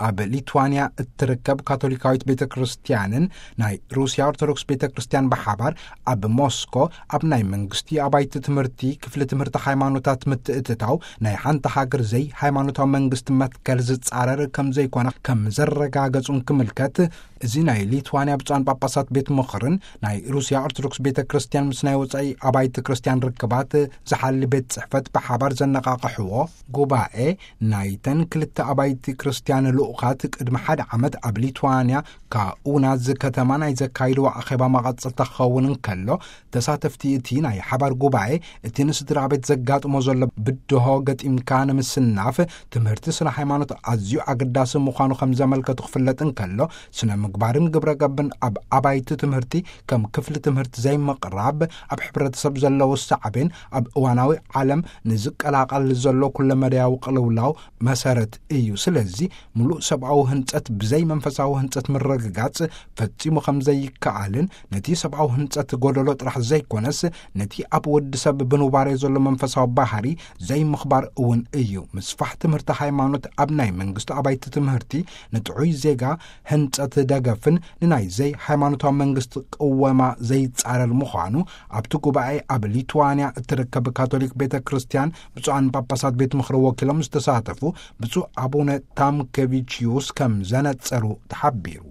ኣብ ሊትዋንያ እትርከብ ካቶሊካዊት ቤተ ክርስቲያንን ናይ ሩስያ ኦርቶዶክስ ቤተ ክርስቲያን ብሓባር ኣብ ሞስኮ ኣብ ናይ መንግስቲ ኣባይቲ ትምህርቲ ክፍሊ ትምህርቲ ሃይማኖታት ምትእትታው ናይ ሓንቲ ሃገር ዘይ ሃይማኖታዊ መንግስቲ መትከል ዝጻረር ከም ዘይኮነ ከም ዘረጋገጹን ክምልከት፣ እዚ ናይ ሊትዋንያ ብፁዓን ጳጳሳት ቤት ምኽርን ናይ ሩስያ ኦርቶዶክስ ቤተ ክርስቲያን ምስ ናይ ወጻኢ ኣባይቲ ክርስቲያን ርክባት ዝሓሊ ቤት ጽሕፈት ብሓባር ዘነቓቕሕዎ ጉባኤ፣ ናይተን ክልተ ኣባይቲ ክርስቲያን ልኡኻት ቅድሚ ሓደ ዓመት ኣብ ሊትዋንያ ካኡናዝ ከተማ ናይ ዘካይድዎ ኣኼባ መቐጸልታ ክኸውን እንከሎ፣ ተሳተፍቲ እቲ ናይ ሓባር ጉባኤ እቲ ንስድራ ቤት ዘጋጥሞ ዘሎ ብድሆ ገጢምካ ንምስናፍ ትምህርቲ ስነ ሃይማኖት ኣዝዩ ኣገዳሲ ምዃኑ ከም ዘመልከቱ ክፍለጥ እንከሎ፣ ስነ ምግባርን ግብረ ገብን ኣብ ኣባይቲ ትምህርቲ ከም ክፍሊ ትምህርቲ ዘይምቕራብ ኣብ ሕብረተሰብ ዘለዎ ሳዕቤን ኣብ እዋናዊ ዓለም ንዝቀላቐል ዘሎ ኩለመዳያዊ ቅልውላው መሰረት እዩ። ስለዚ ምሉእ ሰብኣዊ ህንጸት ብዘይ መንፈሳዊ ህንጸት ምርግጋጽ ፈጺሙ ከም ዘይከኣልን ነቲ ሰብኣዊ ህንጸት ጎደሎ ጥራሕ ዘይኮነስ ነቲ ኣብ ወዲ ሰብ ብኑባሬ ዘሎ መንፈሳዊ ባህሪ ዘይምኽባር እውን እዩ። ምስፋሕ ትምህርቲ ሃይማኖት ኣብ ናይ መንግስቲ ኣባይቲ ትምህርቲ ንጥዑይ ዜጋ ህንጸት ደገፍን ንናይ ዘይ ሃይማኖታዊ መንግስቲ ቅወማ ዘይጻረር ምዃኑ ኣብቲ ጉባኤ ኣብ ሊትዋንያ እትርከብ ካቶሊክ ቤተ ክርስቲያን ብፁዓን ጳጳሳት ቤት ምኽሪ ወኪሎም ዝተሳተፉ ብፁዕ ኣቡነ ታምኬቪችዩስ ከም ዘነጸሩ ተሓቢሩ።